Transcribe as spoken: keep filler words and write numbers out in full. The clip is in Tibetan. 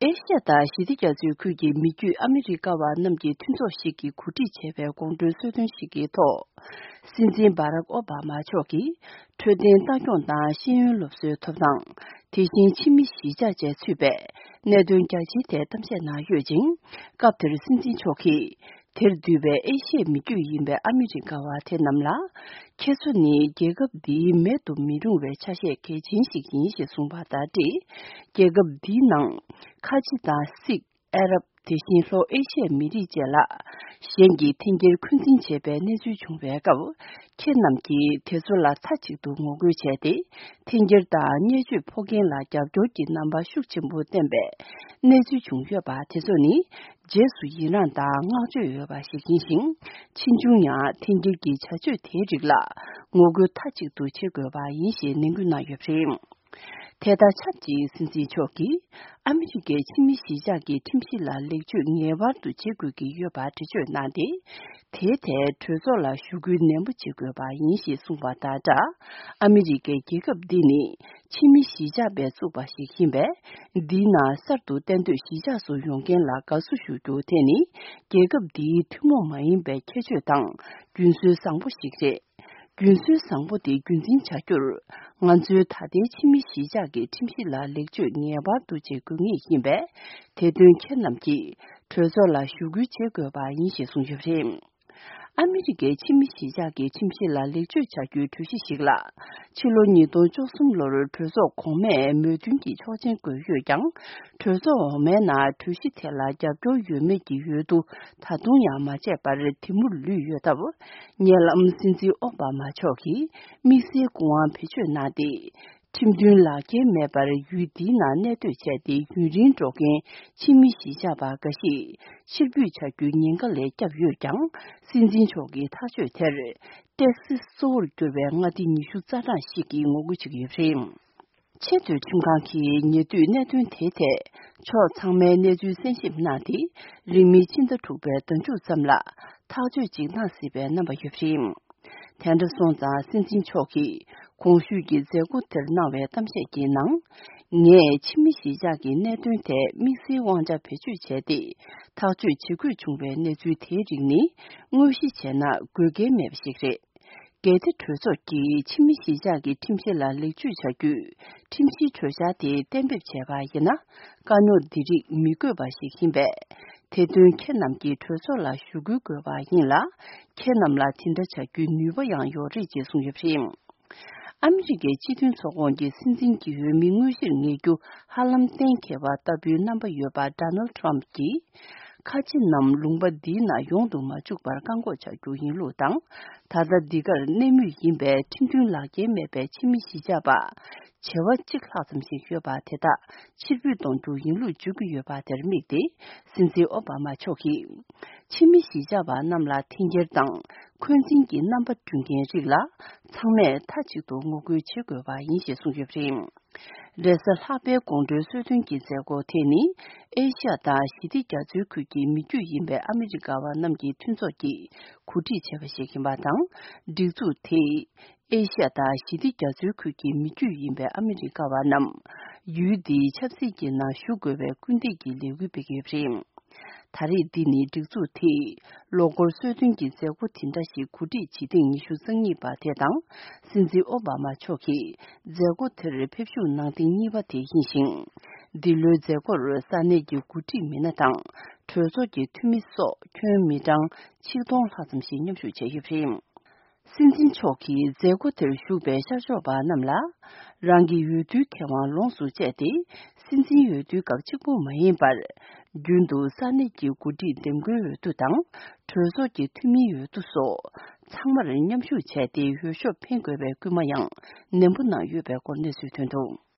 ཨེ་ཤ་ཡ་དང་ཞི་བདེ་རྒྱ་མཚོའི་ཁུལ་གྱི་མི་རྒྱུད་ཨ་མི་རི་ཀ་བ་རྣམས་ཀྱི་མཐུན་ཚོགས་ཤིག་གིས་གོ་སྒྲིག་བྱས་པའི་དགོང་དྲོའི་གསོལ་སྟོན་ཞིག་གི་ཐོག་སྲིད་འཛིན་བྷ་རག་ཨོ་བྷ་མ་མཆོག་གིས་འཕྲོད་བསྟེན་ལྟ་སྐྱོང་དང་ཤེས་ཡོན་སློབ་གསོའི་ཐོབ་ཐང་། དེ་བཞིན་ཕྱི་མི་གཞིས་ཆགས་བཅས་ཚུད་པའི་གནད་དོན་རྒྱ་ཆེའི་ཐད་གཏམ་བཤད་གནང་ཡོད་ཅིང་། སྐབས་དེར་སྲིད་འཛིན་མཆོག་གིས། དེར་འདུས་པའི་ཨེ་ཤི་ཡའི་མི་རྒྱུད་ཡིན་པའི་ཨ་མི་རི་ཀ་བ་དེ་རྣམས་ལ། ཁྱེད་ཚོ་ནི་རྒྱལ་ཁབ་འདིའི་མེད་དུ་མི་རུང་བའི་ཆ་ཤས་གལ་ཆེན་ཞིག་ཡིན་ཞེས་གསུངས་པ་དང་འབྲེལ། རྒྱལ་ཁབ་འདིའི་ནང་། ཁ་ཆེ་དང་སིག་ཨ་རབ། དེ་བཞིན་ལྷོ་ཨེ་ཤི་ཡའི་མི་རིགས་བཅས་ལ། གཞན་གྱིས་འཐེན་འཁྱེར་འཁོན་འཛིན་བྱས་པའི་གནས་ཚུལ་བྱུང་བའི་སྐབས། ཁྱེད་རྣམས་ཀྱིས་དེ་ཚོ་ལ་མཐའ་གཅིག་ཏུ་ངོ་རྒོལ་བྱས་ཏེ། འཐེན་འཁྱེར་དང་བརྙས་བཅོས་ཕོག་མཁན་ལ་རྒྱབ་སྐྱོར་གྱི་རྣམ་པ་ཤུགས་ཆེན་པོ་བསྟན་པའི་གནས་ཚུལ་བྱུང་ཡོད་པ་དེ་ཚོ་ནི། རྗེས་སུ་ཡི་རངས་དང་བསྔགས་བརྗོད་འོས་པ་ཞིག་ཡིན་ཞིང་། ཕྱིས་འབྱུང་ཡང་འཐེན་འཁྱེར་གྱི་བྱ་སྤྱོད་དེའི་རིགས་ལ་ངོ་རྒོལ་མཐའ་གཅིག་ཏུ་བྱེད་དགོས་པ་ཡིན་ཞེས་ནན་སྐུལ་གནང་ཡོད་པ་རེད། དེ་དང་ཆབས་ཅིག་སྲིད་འཛིན་མཆོག་གིས་ཨ་མི་རི་ཀའི་ཕྱི་མི་གཞིས་ཆགས་ཀྱི་ཁྲིམས་གཞི་ལ་ལེགས་བཅོས་ངེས་པར་དུ་བྱེད་དགོས་ཀྱི་ཡོད་པ་འགྲེལ་བརྗོད་གནང་སྟེ། དེའི་ཐད་གྲོས་ཚོགས་ལ་ཞུ་སྐུལ་ནན་པོ་བྱེད་དགོས་པ་ཡིན་ཞེས་གསུངས་པ་དང་སྦྲགས། ཨ་མི་རི་ཀའི་རྒྱལ་ཁབ་འདི་ནི་ཕྱི་མི་གཞིས་ཆགས་པས་བཙུགས་པ་ཞིག་ཡིན་པས། འདིའི་ནང་གསར་དུ་གཏན་སྡོད་གཞིས་ཆགས་སུ་ཡོང་མཁན་ལ་དགའ་བསུ་ཞུ་རྒྱུ་དེ་ནི་རྒྱལ་ཁབ་འདིའི་ཐུན་མོང་མ་ཡིན་པའི་ཁྱད་ཆོས་དང་རྒྱུན་སྲོལ་བཟང་པོ་ཞིག་རེད། རྒྱུན་སྲོལ་བཟང་པོ་དེ་རྒྱུན་འཛིན་བྱ་རྒྱུར། ང་ཚོའི་ད་ལྟའི་ཕྱི་མི་གཞིས་ཆགས་ཀྱི་ཁྲིམས་གཞི་ལ་ལེགས་བཅོས་ངེས་པར་དུ་བྱེད་དགོས་ངེས་ཡིན་པས། དེ་དོན་ཁྱེད་རྣམས་ཀྱིས་གྲོས་ཚོགས་ལ་ཞུ་སྐུལ་བྱེད་དགོས་པ་ཡིན་ཞེས་གསུངས་ཡོད་པ་རེད། ཨ་མི་རི་ཀའི་ཕྱི་མི་གཞིས་ཆགས་ཀྱི་ཁྲིམས་གཞི་ལ་ལེགས་བཅོས་བྱ་རྒྱུའི་གྲོས་གཞི་ཞིག་ལ། ཕྱི་ལོ་ཉིས་སྟོང་བཅུ་གསུམ་ལོར་གྲོས་ཚོགས་གོང་མས་མོས་མཐུན་གྱི་ཆོག་མཆན་བཀོད་ཡོད་ཀྱང་། གྲོས་ཚོགས་འོག་མའི་ནང་གྲོས་གཞི་དེ་ལ་རྒྱབ་སྐྱོར་ཡོད་མེད་ཀྱི་འོས་བསྡུ་ད་དུང་ཡང་མ་བྱས་པར་དེ་མུར་ལུས་ཡོད་སྟབས། ཉེ་ལམ་སྲིད་འཛིན་ཨོ་བྷ་མ་མཆོག་གིས་དམིགས་བསལ་སྐུ་དབང་བེད་སྤྱོད་གནང་སྟེ། ཁྲིམས་མཐུན་ལག་འཁྱེར་མེད་པར་ཡུལ་འདིའི་ནང་གནས་སྡོད་བྱས་ཏེ་ཡུན་རིང་འགྲོ་མཁན་ཕྱི་མི་གཞིས་ཆགས་པ་འགའ་ཞིག་ཕྱིར་འབུད་བྱ་རྒྱུའི་ཉེན་ཁ་ལས་བསྐྱབས་ཡོད་ཀྱང་། སྲིད་འཛིན་མཆོག་གི་ཐག་གཅོད་དེར་ཏེག་སིས་གཙོ་བོར་གྱུར་པའི་མངའ་སྡེ་ཉི་ཤུ་རྩ་གྲངས་ཤིག་གིས་ངོ་རྒོལ་བྱེད་ཀྱི་ཡོད་པ་རེད། ཆེས་མཐོའི་ཁྲིམས་ཁང་གིས་ཉེ་དུས་གནད་དོན་དེའི་ཐད་ཕྱོགས་ཚང་མའི་གནས་ཚུལ་གསན་ཞིབ་གནང་སྟེ། རིང་མིན་ཕྱི་ཟླ་དྲུག་པའི་ཟླ་མཇུག་ཙམ་ལ་ཐག་གཅོད་ཅིག་གནང་སྲིད་པའི་རྣམ་པ་ཡོད་པ་རེད། དེ་འདྲ་སོང་ཙང་སྲིད་འཛིན་མཆོག་གིས་གོང་ཞུས་ཀྱི་མཛད་སྒོ་དེར་གནང་བའི་གཏམ་བཤད་ཀྱི་ནང་། ངས་ཕྱི་མི་གཞིས་ཆགས་ཀྱི་གནད་དོན་ཐད་དམིགས་བསལ་དབང་ཆ་བེད་སྤྱོད་བྱས་ཏེ། ཐག་གཅོད་བྱེད་དགོས་བྱུང་བའི་གནས་ཚུལ་དེའི་རིགས་ནི་དངོས་གཞི་བྱས་ན་དགོས་གལ་མེད་པ་ཞིག་རེད། གལ་ཏེ་གྲོས་ཚོགས་ཀྱིས་ཕྱི་མི་གཞིས་ཆགས་ཀྱི་ཁྲིམས་གཞི་ལ་ལེགས་བཅོས་བྱ་རྒྱུའི་ཁྲིམས་གཞིའི་གྲོས་འཆར་དེ་གཏན་འབེབས་བྱས་པ་ཡིན་ན། དཀའ་རྙོག་འདི་རིགས་མི་དགོས་པ་ཞིག་ཡིན་པས། དེ་དོན་ཁྱེད་རྣམས་ཀྱིས་གྲོས་ཚོགས་ལ་ཞུ་སྐུལ་དགོས་པ་ཡིན་ལ། ཁྱེད་རྣམས་ལ་དེ་འདྲ་བྱ་རྒྱུའི་ནུས་པ་ཡང་ཡོད་རེད་ཅེས་གསུངས་ཡོད་པ་རེད། ཨ་མི་རི་ཀའི་སྤྱི་མཐུན་ཚོགས་ཁོངས་ཀྱི་སྲིད་འཛིན་གྱི་འོས་མི་དངོས་གཞིར་ངེས་རྒྱུ་ཧ་ལམ་གཏན་འཁེལ་བ་ལྟ་བུའི་རྣམ་པ་ཡོད་པ་ཌོ་ནལ་ཌི་ཊརམ་ཕི་གྱིས། ཁ་ཆེ་རྣམས་ལུང་པ་འདིའི་ནང་ཡོང་དུ་མ་བཅུག་པར་བཀག་འགོག་བྱ་རྒྱུ་ཡིན་ལུགས་དང་། ད་ལྟ་འདི་གར་གནས་མུས་ཡིན་པའི་ཁྲིམས་མཐུན་ལག་འཁྱེར་མེད་པའི་ཕྱི་མི་གཞིས་ཆགས་པ་བྱེ་བ་གཅིག་ལྷག་ཙམ་ཞིག་ཡོད་པ་དེ་དག་ཕྱིར་འབུད་གཏོང་རྒྱུ་ཡིན་ལུགས་བརྗོད་ཀྱི་ཡོད་པ་དེར་དམིགས་ཏེ། སྲིད་འཛིན་ཨོ་བྷ་མ་མཆོག་གིས། ཕྱི་མི་གཞིས་ཆགས་པ་རྣམས་ལ་འཐེན་འཁྱེར་དང་འཁོན་འཛིན་གྱི་རྣམ་པ་བསྐྲུན་མཁན་རིགས་ལ་ཚང་མས་མཐའ་གཅིག་ཏུ་ངོ་རྒོལ་བྱེད་དགོས་པ་ཡིན་ཞེས་གསུངས་ཡོད་པ་རེད། རེས་གཟའ་ལྷག་པའི་དགོང་དྲོའི་གསོལ་སྟོན་གྱི་མཛད་སྒོ་དེ་ནི་ཨེ་ཤ་ཡ་དང་ཞི་བདེ་རྒྱ་མཚོའི་ཁུལ་གྱི་མི་རྒྱུད་ཡིན་པའི་ཨ་མི་རི་ཀ་བ་རྣམས་ཀྱི་མཐུན་ཚོགས་ཀྱིས་གོ་སྒྲིག་བྱས་པ་ཞིག་ཡིན་པ་དང་། སྒྲིག་འཛུགས་དེས་ཨེ་ཤ་ཡ་དང་ཞི་བདེ་རྒྱ་མཚོའི་ཁུལ་གྱི་མི་རྒྱུད་ཡིན་པའི་ཨ་མི་རི་ཀ་བ་རྣམས་ཡུལ་འདིའི་ཆབ་སྲིད་ཀྱི་ནང་ཞུགས་དགོས་པའི་སྐུལ་འདེད་ཀྱི་ལས་འགུལ་སྤེལ་གྱི་ཡོད་པ་རེད། ད་རེས་འདི་ནི་སྒྲིག་འཛུགས་དེས་ལོ་འཁོར་གསོལ་སྟོན་གྱི་མཛད་སྒོ་དེ་འདྲ་ཞིག་གོ་སྒྲིག་བྱེད་ཐེངས་ཉི་ཤུ་རྩ་གཉིས་པ་དེ་དང་། སྲིད་འཛིན་ཨོ་བྷ་མ་མཆོག་གིས་མཛད་སྒོ་དེར་ཕེབས་ཞུགས་གནང་ཐེངས་གཉིས་པ་དེ་ཡིན་ཞིང་། འདི་ལོའི་མཛད་སྒོར་ས་གནས་ཀྱི་འགོ་ཁྲིད་མི་སྣ་དང་གྲོས་ཚོགས་ཀྱི་འཐུས་མི་སོགས་ཁྱོན་མི་གྲངས་ཆིག་སྟོང་ལྷག་ཙམ་ཞིག་མཉམ་ཞུགས་བྱས་ཡོད་པ་རེད། སྲིད་འཛིན་མཆོག་གིས་མཛད་སྒོ་དེར་ཞུགས་པའི་ཤར་ཕྱོགས་པ་རྣམས་ལ། རང་གི་འོས་བསྡུའི་ཁེ་དབང་ལོངས་སུ་སྤྱད་དེ། སྲིད་འཛིན་འོས་བསྡུའི་སྐབས་གཅིག་པུ་མ་ཡིན་པར། རྒྱུན་དུ་ས་གནས་ཀྱི་འགོ་ཁྲིད་འདེམས་བསྐོའི་འོས་བསྡུ་དང་། གྲོས་ཚོགས་ཀྱི་འཐུས་མིའི་འོས་བསྡུ་སོགས། ཚང་མར་མཉམ་ཞུགས་བྱས་ཏེ། འོས་ཤོག་འཕེན་དགོས་པའི་སྐུལ་མ་ཡང་ནན་པོ་གནང་ཡོད་པའི་སྐོར་གནས་ཚུལ་ཐོན་འདུག།